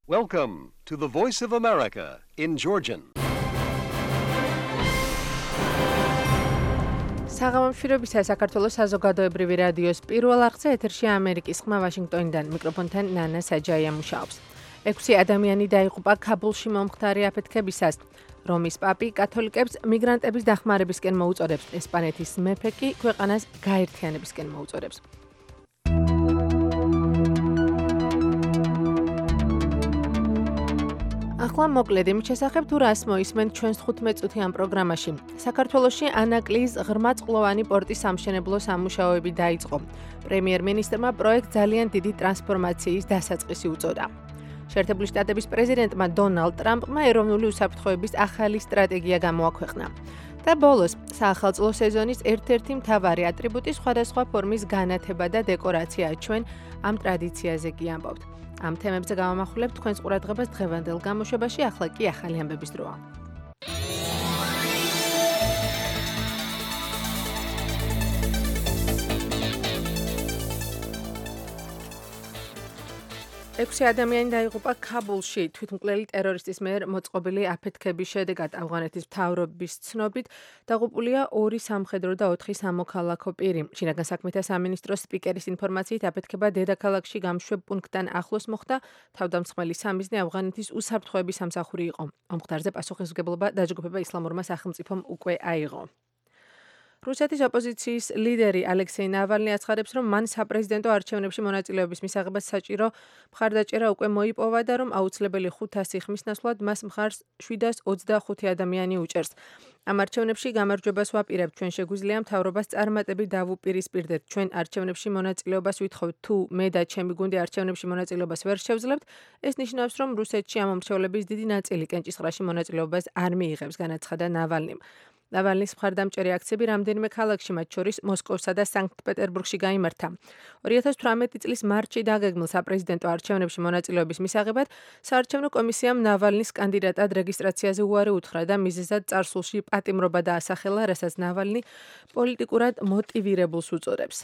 Welcome to the Voice of America in Georgian. საღამომშვიდობისა საქართველოს საზოგადოებრივი რადიოს პირველ არხზე ეთერში ამერიკის ხმა ვაშინგტონიდან მიკროფონთან ნანა საჯაია მუშაობს. 6 ადამიანი დაიღუპა ქაბულში მომხდარი აფეთქებისას. რომის პაპი კათოლიკებს მიგრანტების დახმარებისკენ მოუწოდებს, ესპანეთის მეფე კი ქვეყანას გაერთიანებისკენ მოუწოდებს. ახლა მოკლედ იმის შესახებ თუ რას მოისმენთ ჩვენს 15 წუთიან პროგრამაში. საქართველოში ანაკლიის ღრმაწყლოვანი პორტის სამშენებლო სამუშაოები დაიწყო. პრემიერ-მინისტრმა პროექტ ძალიან დიდი ტრანსფორმაციის დასაწყისი უწოდა. შეერთებული შტატების პრეზიდენტმა დონალდ ტრამპმა ეროვნული უსაფრთხოების ახალი სტრატეგია გამოაქვეყნა. და ბოლოს, საახალწლო სეზონის ერთ-ერთი მთავარი ატრიბუტი სხვადასხვა ფორმის განათება და დეკორაცია ჩვენ ამ ტრადიციაზე კი ამბობთ. ამ თემებზე გავამახვილებთ თქვენს ყურადღებას დღევანდელ გამოშვებაში, ახლა კი ახალი ამბების დროა. ექვსი ადამიანი დაიღუპა ქაბულში თვითმკვლელი ტერორისტის მიერ მოწყობილი აფეთქების შედეგად. ავღანეთის მთავრობის ცნობით დაღუპულია 2 სამხედრო და 4 სამოქალაქო პირი. შინაგან საქმეთა სამინისტროს სპიკერის ინფორმაციით აფეთქება დედაქალაქში გამშვებ პუნქტთან ახლოს მოხდა. თავდამსხმელი სამიზნე ავღანეთის უსაფრთხოების სამსახური იყო. ამ მხარზე პასუხისმგებლობა დაჯგუფება ისლამურმა სახელმწიფომ უკვე აიღო. რუსეთის ოპოზიციის ლიდერი ალექსეი ნავალნი აცხადებს, რომ მან საპრეზიდენტო არჩევნებში მონაწილეობის მისაღებად საჭირო მხარდაჭერა უკვე მოიპოვა და რომ აუცილებელი 500 ხმის ნაცვლად მას მხარს 725 ადამიანი უჭერს. ამ არჩევნებში გამარჯვებას ვაპირებთ, ჩვენ შეგვიძლია მთავრობას წარმატებით დავუპირისპირდეთ. ჩვენ არჩევნებში მონაწილეობას ვითხოვთ, თუ მე და ჩემი გუნდი არჩევნებში მონაწილეობას ვერ შევძლებთ, ეს ნიშნავს, რომ რუსეთში ამ მომრჩევლების დიდი ნაწილი კენჭისყრაში მონაწილეობას არ მიიღებს, განაცხადა ნავალნიმ. ნავალნის მხარდამჭერი აქციები რამდენიმე ქალაქში, მათ შორის მოსკოვსა და სანქტ-პეტერბურგში გაიმართა. 2018 წლის მარტში დაგეგმილ საპრეზიდენტო არჩევნებში მონაწილეობის მისაღებად საარჩევნო კომისიამ ნავალნის კანდიდატად რეგისტრაციაზე უარი უთხრა და მიზეზად წარსულში პატიმრობა დაასახელა, რასაც ნავალნი პოლიტიკურად მოტივირებულს უწოდებს.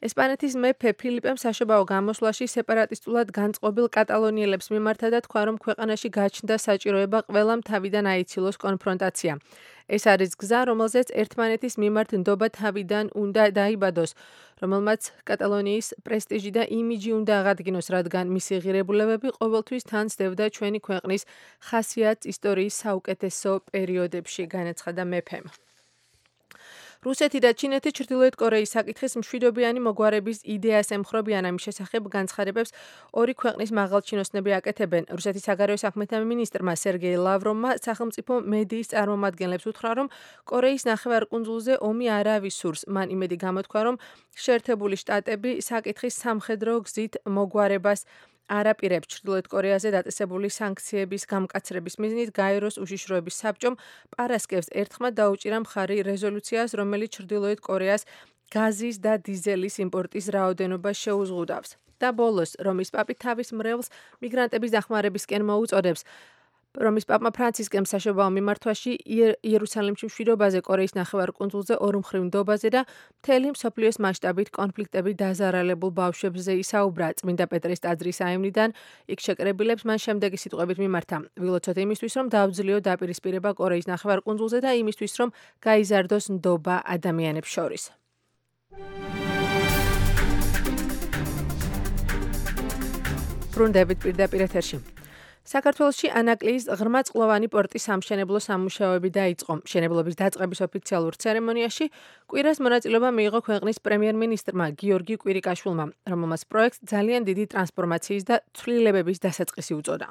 ესპანეთის მეფე ფილიპემ საშობაო გამოსვლაში სეპარატისტულად განწყობილ კატალონიელებს მიმართა და თქვა, რომ ქვეყანაში გაჩნდა საჭიროება ყველამ თავიდან აიცილოს კონფრონტაცია. ეს არის გზა, რომელზეც ერთმანეთის მიმართ ნდობა თავიდან უნდა დაიბადოს, რომელმაც კატალონიის პრესტიჟი და იმიჯი უნდა აღადგინოს, რადგან მისი ღირებულებები ყოველთვის თან სდევდა ჩვენი ქვეყნის ხასიათს ისტორიის საუკეთესო პერიოდებში, განაცხადა მეფემ. რუსეთი და ჩინეთი ჩრდილოეთ კორეის საკითხის მშვიდობიანი მოგვარების იდეას ემხრობიან. ამის შესახებ განცხადებებს ორი ქვეყნის მაღალჩინოსნები აკეთებენ. რუსეთის საგარეო საქმეთა მინისტრმა სერგეი ლავროვმა სახელმწიფო მედიის წარმომადგენლებს უთხრა, რომ კორეის ნახევარკუნძულზე ომი არავის სურს. მან იმედი გამოთქვა, რომ შეერთებული შტატები საკითხის სამხედრო გზით მოგვარებას არაპირებს. ჩრდილოეთ კორეაზე დაწესებული სანქციების გამკაცრების მიზნით გაეროს უშიშროების საბჭომ პარასკევს ერთხმად დაუჭირა მხარი რეზოლუციას, რომელიც ჩრდილოეთ კორეას გაზის და დიზელის იმპორტის რაოდენობას შეუზღუდავს. და ბოლოს, რომის პაპი თავის მრევლს მიგრანტების დახმარებისკენ მოუწოდებს. რომის პაპმა ფრანცისკემ საშობაო მიმართვაში იერუსალიმში მშვიდობაზე, კორეის ნახევარკუნძულზე ორმხრივ ნდობაზე და მთელი მსოფლიოს მასშტაბით კონფლიქტებით დაზარალებულ ბავშვებზე ისაუბრა. წმინდა პეტრეს ტაძრის აივნიდან იქ შეკრებილებს მან შემდეგი სიტყვებით მიმართა: ვილოცოთ იმისთვის, რომ დაავძლიო დაპირისპირება კორეის ნახევარკუნძულზე და იმისთვის, რომ გაიზარდოს ნდობა ადამიანებს შორის. ბრუნდებით პირდაპირ ეთერში. საქართველოში ანაკლიის ღრმაწყლოვანი პორტის სამშენებლო სამუშაოები დაიწყო. მშენებლობის დაწყების ოფიციალურ ცერემონიაში კვირას მონაწილეობა მიიღო ქვეყნის პრემიერ-მინისტრმა გიორგი კვირიკაშვილმა, რომელმაც პროექტს ძალიან დიდი ტრანსფორმაციის და ცვლილებების დასაწყისი უწოდა.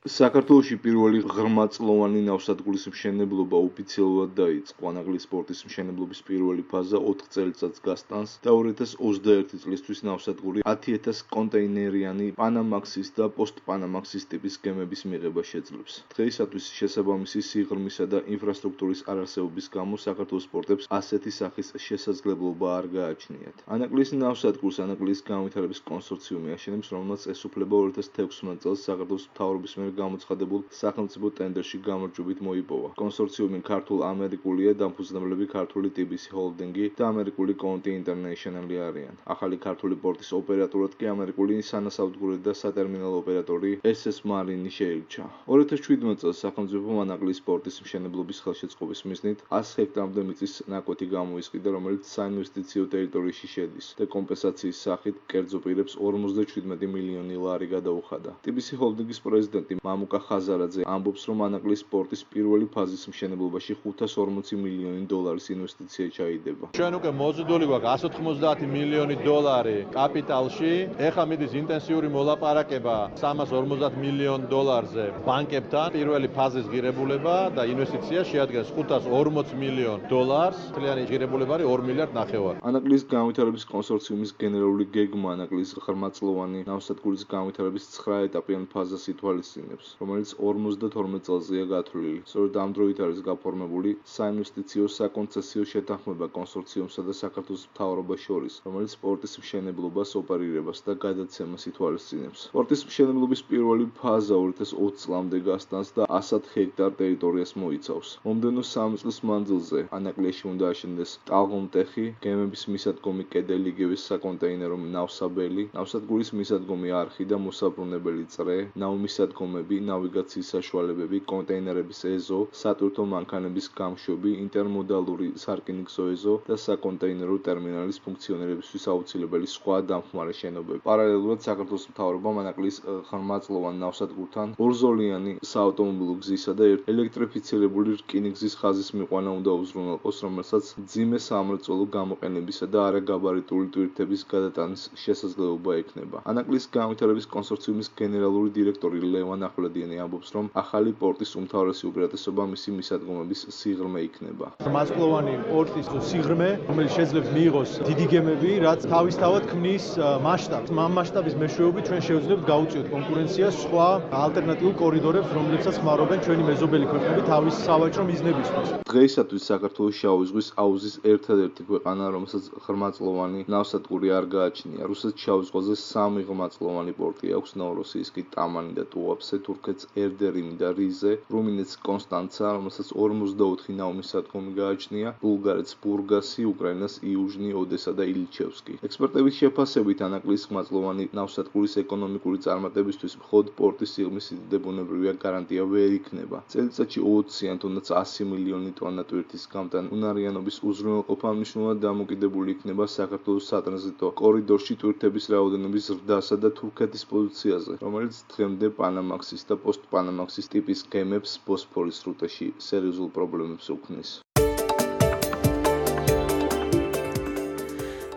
საქართველოში პირველი ღრმაწყლოვანი ნავსადგურის მშენებლობა ოფიციალურად დაიწყო. ანაკლიის პორტის მშენებლობის პირველი ფაზა 4 წელიწადს გასტანს და 2021 წლისთვის ნავსადგური 10,000 კონტეინერიანი პანამაქსის და პოსტპანამაქსის ტიპის გემების მიღება შეძლებს. დღეისათვის შესაბამისი სიღრმისა და ინფრასტრუქტურის არარსებობის გამო საქართველოს პორტებს ასეთი სახის შესაძლებლობა არ გააჩნიათ. ანაკლიის ნავსადგურს ანაკლიის განვითარების კონსორციუმი აშენებს, რომელმაც ესუფლება 2016 წელს საქართველოს მთავრობის მიერ გამოცხადებულ სახელმწიფო ტენდერში გამარჯვებით მოიპოვა. კონსორციუმი ქართულ-ამერიკულია, დამფუძნებლები ქართული TBC ჰოლდინგი და ამერიკული Conti International-ი არიან. ახალი ქართული პორტის ოპერატორად კი ამერიკული სანასაუდგურე და სატერმინალო ოპერატორი SS Marine შეირჩა. 2017 წელს სახელმწიფო ანაკლიის პორტის მშენებლობის ხელშეწყობის მიზნით 100 ჰექტარამდე მიწის ნაკვეთი გამოისყიდა, რომელიც საინვესტიციო ტერიტორიაში შედის და კომპენსაციის სახით კერძო პირებს 57 მილიონი ლარი გადაუხადა. TBC ჰოლდინგის პრეზიდენტი მამუკა ხაზარაძე ამბობს, რომ ანაკლიის პორტის პირველი ფაზის მშენებლობაში 540 მილიონი დოლარის ინვესტიცია ჩაიდება. ჩვენ უკვე მოზიდული გვაქვს 190 მილიონი დოლარი კაპიტალში. ეხლა მიდის ინტენსიური მოლაპარაკება 350 მილიონ დოლარზე ბანკებთან. პირველი ფაზის ღირებულება და ინვესტიცია შეადგენს 540 მილიონ დოლარს. მთლიანი ღირებულება არის 2 მილიარდ ნახევარი. ანაკლიის განვითარების კონსორციუმის გენერალური გეგმა ანაკლიის ღრმაწლოვანი ნავსადგურის განვითარების 9 ეტაპიანი ფაზას ითვალისწინებს, რომელიც 52 წელზეა გათვლილი. სწორედ ამ დროით არის გაფორმებული საინვესტიციო საკონცესიო შეთანხმება კონსორციუმსა და საქართველოს მთავრობას შორის, რომელიც პორტის მშენებლობას, ოპერირებას და გადაცემას ითვალისწინებს. პორტის მშენებლობის პირველი ფაზა 2020 წლამდე გასტანს და 100 ჰექტარ ტერიტორიას მოიცავს. მომდევნო 3 წლის მანძილზე ანაკლიაში უნდა აშენდეს ტალღომტეხი, გემების მისადგომი კედელი, იგივე საკონტეინერო ნავსაბელი, ნავსადგურის მისადგომი არხი და მოსაბრუნებელი წრე, ნავმისადგომები, ნავიგაციის საშუალებები, კონტეინერების ეზო, სატვირთო მანქანების გამშვები, ინტერმოდალური სარკინიგზო ეზო და საკონტეინერო ტერმინალის ფუნქციონირებისთვის აუცილებელი სხვა დამხმარე შენობები. პარალელურად საქართველოს მთავრობამ ანაკლიის ღრმაწლოვან ნავსადგურთან ორზოლიანი საავტომობილო გზისა და ელექტრიფიცირებული რკინიგზის ხაზის მიყვანა უნდა უზრუნველყოს, რომელსაც მძიმე სამრეწველო გამოყენებისა და არაგაბარიტული ტვირთების გადატანის შესაძლებლობა ექნება. ანაკლიის განვითარების კონსორციუმის გენერალური დირექტორი ლევან ახვლედიანი ამბობს, რომ ახალი პორტის უმთავრესი უპირატესობა მისი მისადგომების სიღრმე იქნება. ღრმაწლოვანი პორტის სიღრმე, რომელიც შეძლებს მიიღოს დიდი გემები, რაც თავისთავად ქმნის მასშტაბს. ამ მასშტაბის მეშვეობით ჩვენ შევძლებთ გაუწიოთ კონკურენციას სხვა ალტერნატიულ კორიდორებს, რომლებსაც ხმარობენ ჩვენი მეზობელი ქვეყნები თავის სავაჭრო მიზნებისთვის. დღეისათვის საქართველოს შავი ზღვის აუზის ერთადერთი ქვეყანა, რომელსაც ღრმაწლოვანი ნავსადგური არ გააჩნია. რუსეთს შავი ზღვაზე 3 ღრმაწლოვანი პორტი აქვს, ნოვოროსიისკი, ტამანი და ტუაფსე, თურქეთს ერდერიმი და რიზე, რუმინეთს კონსტანცა, რომელსაც 54 ნავმისადგომი გააჩნია, ბულგარეთს ბურგასი, უკრაინას იუჟნი, ოდესა და ილჩევსკი. ექსპერტების შეფასებით ანაკლიის ღრმაწლოვანი ნავსადგურის ეკონომიკური წარმატებისთვის მხოლოდ პორტის სიღრმის სიდიდე ბუნებრივია გარანტია ვერ იქნება. წელიწადში 20-იან თუნდაც 100 მილიონი ტონა ტვირთის გამტანი უნარიანობის უზრუნველყოფა მნიშვნელოვნად დამოკიდებული იქნება საქართველოს სატრანზიტო კორიდორში ტვირთების რაოდენობის ზრდასა და თურქეთის პოზიციაზე, რომელიც დღემდე პანამაქსის და პოსტ-პანამაქსის ტიპის გემებს ბოსფორის სრუტეში სერიოზულ პრობლემებს უქმნის.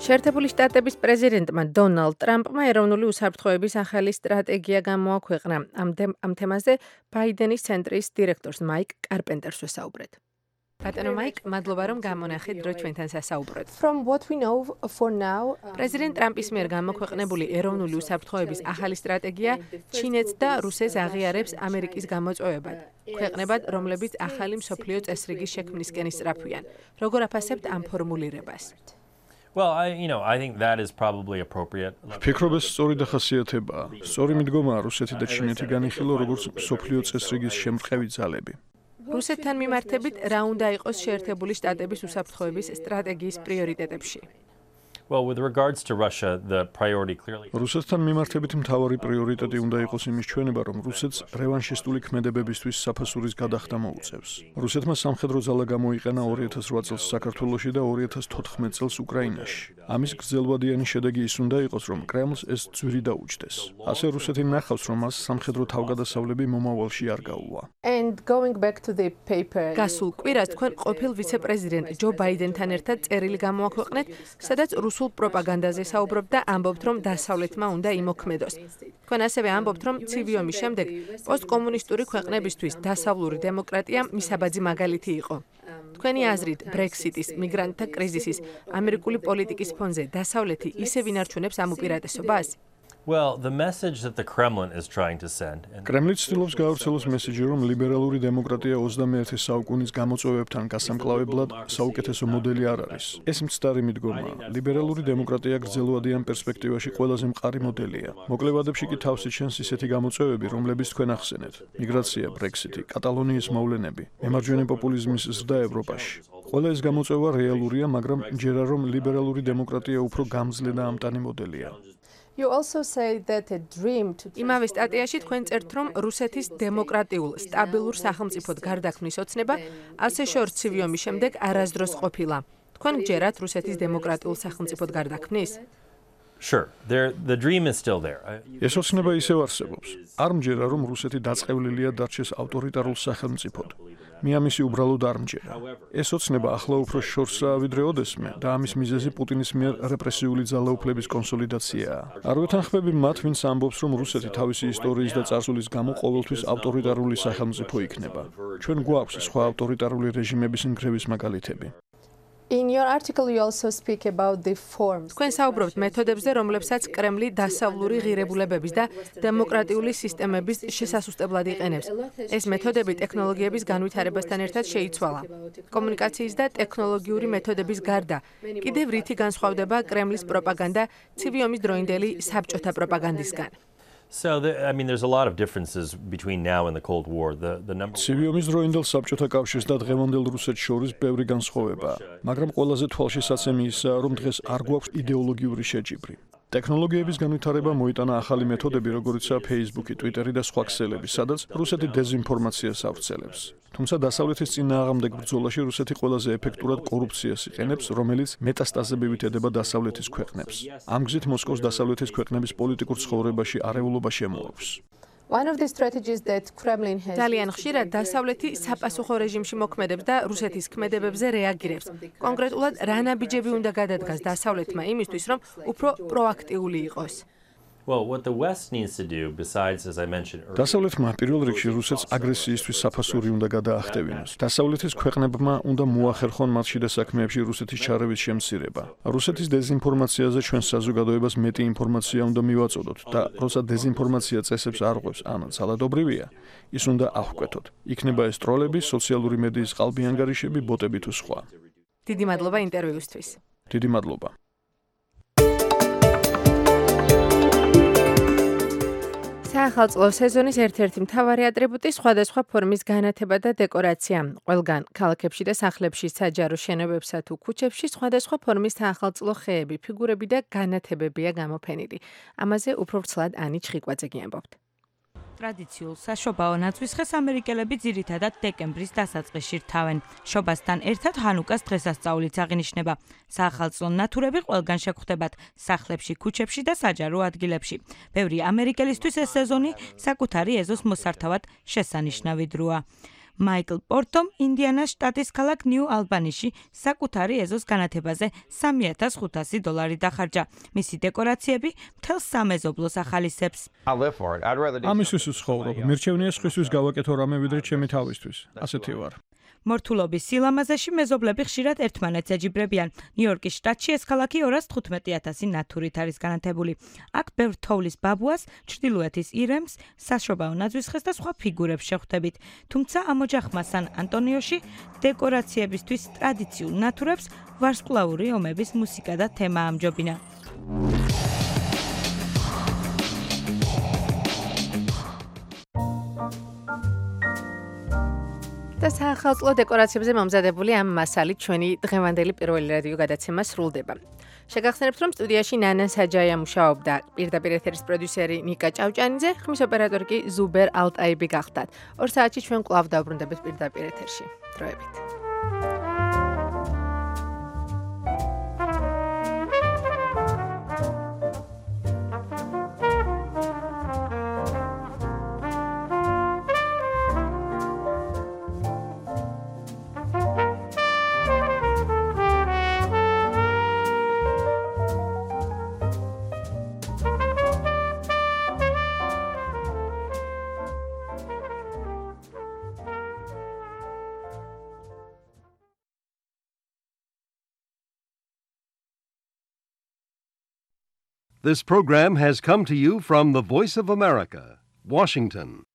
შეერთებული შტატების პრეზიდენტმა დონალდ ტრამპმა ეროვნული უსაფრთხოების ახალი სტრატეგია გამოაქვეყნა. ამ თემაზე ბაიდენის ცენტრის დირექტორს მაიკ კარპენტერს ვესაუბრეთ. ბატონო მაიკ, მადლობა რომ გამონახეთ დრო ჩვენთან სასაუბროდ. პრეზიდენტ ტრამპის მიერ გამოქვეყნებული ეროვნული უსაფრთხოების ახალი სტრატეგია ჩინეთს და რუსეთს აღიარებს ამერიკის გამოწვევებად. ქვეყნებად, რომლებიც ახალი მსოფლიო წესრიგის შექმნისკენ ისწრაფვიან. როგორ აფასებთ ამ ფორმულირებას? Well, I think that is probably appropriate. ვფიქრობ, ეს სწორი დახასიათებაა. სწორი მიდგომაა რუსეთი და ჩინეთი განიხილო როგორც მსოფლიო წესრიგის შემწყევი ძალები. რუსეთთან მიმართებით რა უნდა იყოს შეერთებული შტატების უსაფრთხოების სტრატეგიის პრიორიტეტებში? Well, with regards to Russia, the priority clearly რუსეთთან მიმართებით მთავარი პრიორიტეტი უნდა იყოს იმის ჩვენება, რომ რუსეთს რევანშისტული ქმედებებისთვის საფასურის გადახდა მოუწევს. რუსეთმა სამხედრო ძალა გამოიყენა 2008 წელს საქართველოში და 2014 წელს უკრაინაში. ამის გრძელვადიანი შედეგი ის უნდა იყოს, რომ კრემლს ეს ძვირი დაუჯდეს. ასე რუსეთი ნახავს, რომ მას სამხედრო თავგადასავლები მომავალში არ გაუვა. გასულ კვირას თქვენ ყოფილ ვიცე-პრეზიდენტ ჯო ბაიდენთან ერთად წერილი გამოაქვეყნეთ, სადაც რუსულ პროპაგანდაზე საუბრობთ და ამბობთ, რომ დასავლეთმა უნდა იმოქმედოს. თქვენ ასევე ამბობთ, რომ ცივი ომის შემდეგ პოსტკომუნისტური ქვეყნებისთვის დასავლური დემოკრატია მისაბაძი მაგალითი იყო. თქვენი აზრით, ბრექსიტის, მიგრანტთა კრიზისის, ამერიკული პოლიტიკის ფონზე დასავლეთი ისევ ინარჩუნებს ამ უპირატესობას? Well, the message that the Kremlin is trying to send. კრემლი ცდილობს გაავრცელოს მესიჯი, რომ ლიბერალური დემოკრატია 21 საუკუნის გამოწვევებთან გასამკლავებლად საუკეთესო მოდელი არ არის. ეს მცდარი მიდგომაა. ლიბერალური დემოკრატია გრძელვადიან პერსპექტივაში ყველაზე მყარი მოდელია. მოკლებადებში კი თავს იჩენს ისეთი გამოწვევები, რომლებიც თქვენ ახსენეთ: მიგრაცია, ბრექსიტი, კატალონიის მოვლენები, მემარჯვენე პოპულიზმის ზრდა ევროპაში. ყველა ეს გამოწვევა რეალურია, მაგრამ მჯერა რომ ლიბერალური დემოკრატია უფრო გამძლე და ამტანი მოდელია. იმავე სტატიაში თქვენ წერთ, რომ რუსეთის დემოკრატიულ, სტაბილურ სახელმწიფოდ გარდაქმნის ოცნება ასე შორს ცივი ომის შემდეგ არასდროს ყოფილა. თქვენ გჯერათ რუსეთის დემოკრატიულ სახელმწიფოდ გარდაქმნის? Sure, the dream is still there. ეს ოცნება ისევ არსებობს. არ მჯერა რომ რუსეთი დაწყევლილია დარჩეს ავტორიტარულ სახელმწიფოდ. მე ამისი უბრალოდ არ მჯერა. ეს ოცნება ახლა უფრო შორსაა ვიდრე ოდესმე და ამის მიზეზი პუტინის მიერ რეპრესიული ძალაუფლების კონსოლიდაციაა. არ ვეთანხმები მათ, ვინც ამბობს, რომ რუსეთი თავისი ისტორიის და წარსულის გამო ყოველთვის ავტორიტარული სახელმწიფო იქნება. ჩვენ გვაქვს სხვა ავტორიტარული რეჟიმების ნგრევის მაგალითები. თქვენ საუბრობთ მეთოდებებზე, რომლებსაც კრემლი დასავლური ღირებულებების და დემოკრატიული სისტემების შესასუსტებლად იყენებს. ეს მეთოდები ტექნოლოგიების განვითარებასთან ერთად შეიცვალა. კომუნიკაციის და ტექნოლოგიური მეთოდების გარდა, კიდევ რითი განსხვავდება კრემლის პროპაგანდა ცივი ომის დროინდელი საბჭოთა პროპაგანდისგან? So, there's a lot of differences between now and the Cold War. The number. ცივი ომის დროინდელ საბჭოთა კავშირს და დღევანდელ რუსეთს შორის ბევრი განსხვავებაა, მაგრამ ყველაზე თვალშისაცემი ისაა, რომ დღეს არ გვაქვს იდეოლოგიური შეჯიბრი. ტექნოლოგიების განვითარება მოიტანა ახალი მეთოდები, როგორიცაა Facebook, Twitter და სხვა ქსელები, სადაც რუსეთი დეზინფორმაციას ავრცელებს. თუმცა დასავლეთის წინააღმდეგ ბრძოლაში რუსეთი ყველაზე ეფექტურად კორუფციას იყენებს, რომელიც მეტასტაზებივით ედება დასავლეთის ქვეყნებს. ამ გზით მოსკოვს დასავლეთის ქვეყნების პოლიტიკურ ცხოვრებაში არეულობა შემოაქვს. ძალიან ხშირად დასავლეთი საპასუხო რეჟიმში მოქმედებს და რუსეთის ქმედებებზე რეაგირებს. კონკრეტულად რა ნაბიჯები უნდა გადადგას დასავლეთმა იმისთვის, რომ უფრო პროაქტიული იყოს? Well, what the West needs to do, besides, as I mentioned earlier, დასავლეთმა პირველ რიგში რუსეთს აგრესიისთვის საფასური უნდა გადაახტევინოს. დასავლეთის ქვეყნებმა უნდა მოახერხონ მათ შიდა საქმეებში რუსეთის ჩარევის შემცირება. რუსეთის დეზინფორმაციაზე ჩვენ საზოგადოებას მეტი ინფორმაცია უნდა მივაწოდოთ და როცა დეზინფორმაცია წესებს არ ღვევს, ან ძალადობრივია, ის უნდა აღკვეთოთ. იქნება ეს ტროლები, სოციალური მედიის ყალბი ანგარიშები, ბოტები თუ სხვა. დიდი მადლობა ინტერვიუსთვის. დიდი მადლობა. საახალწლო სეზონის ერთ-ერთი მთავარი ატრიბუტი სხვადასხვა ფორმის განათება და დეკორაცია. ყველგან ქალაქებში და სახლებში, საჯარო შენობებსა თუ ქუჩებში სხვადასხვა ფორმის საახალწლო ხეები, ფიგურები და განათებებია გამოფენილი. ამაზე უფრო ვრცლად ანი ჩხიკვაძე გიამბობთ. ტრადიციულ საშობაო ნაცვისხეს ამერიკელები ძირითადად დეკემბრის დასაწყისში რთავენ. შობასთან ერთად ჰანუკას დღესასწაულიც აღინიშნება. საახალწლო ნათურები ყველგან შეგვხვდებათ სახლებში, ქუჩებში და საჯარო ადგილებში. ბევრი ამერიკელისთვის ეს სეზონი საკუთარი ეზოს მოსართავად შესანიშნავი დროა. მაიკლ პორტომ ინდიანას შტატის ქალაქ ნიუ ალბანიში საკუთარი ეზოს განათებაზე $3,500 დახარჯა. მისი დეკორაციები მთელ სამეზობლოს ახალისებს. ამისთვის ვცხოვრობ. მირჩევნია სხვისთვის გავაკეთო რამე ვიდრე ჩემი თავისთვის. ასეთი ვარ. მორთულობის სილამაზეში მეზობლები ხშირად ერთმანეთს ეჯიბრებიან. ნიუ-იორკის შტატში ეს ქალაქი 215,000 ნათურით არის განათებული. აქ ბევრ თოვლის ბაბუას, ჩრდილოეთის ირემს, საშობაო ნაძვისხეს და სხვა ფიგურებს შეხვდებით. თუმცა ამ ოჯახმა სან-ანტონიოში დეკორაციებისთვის ტრადიციულ ნათურებს ვარსკვლავური ომების მუსიკა და თემა ამჯობინა. და საახალწლო დეკორაციებზე მომზადებული ამ მასალით ჩვენი დღევანდელი პირველი რადიო გადაცემა სრულდება. შეგახსენებთ, რომ სტუდიაში ნანა საჯაია მუშაობდა, პირდაპირ ეთერის პროდიუსერი ნიკა ჭავჭანიძე, ხმის ოპერატორი კი ზუბერ ალტაიბი გახდათ. 2 საათში ჩვენ კვლავ დავბრუნდებით პირდაპირ ეთერში. დროებით. This program has come to you from the Voice of America, Washington.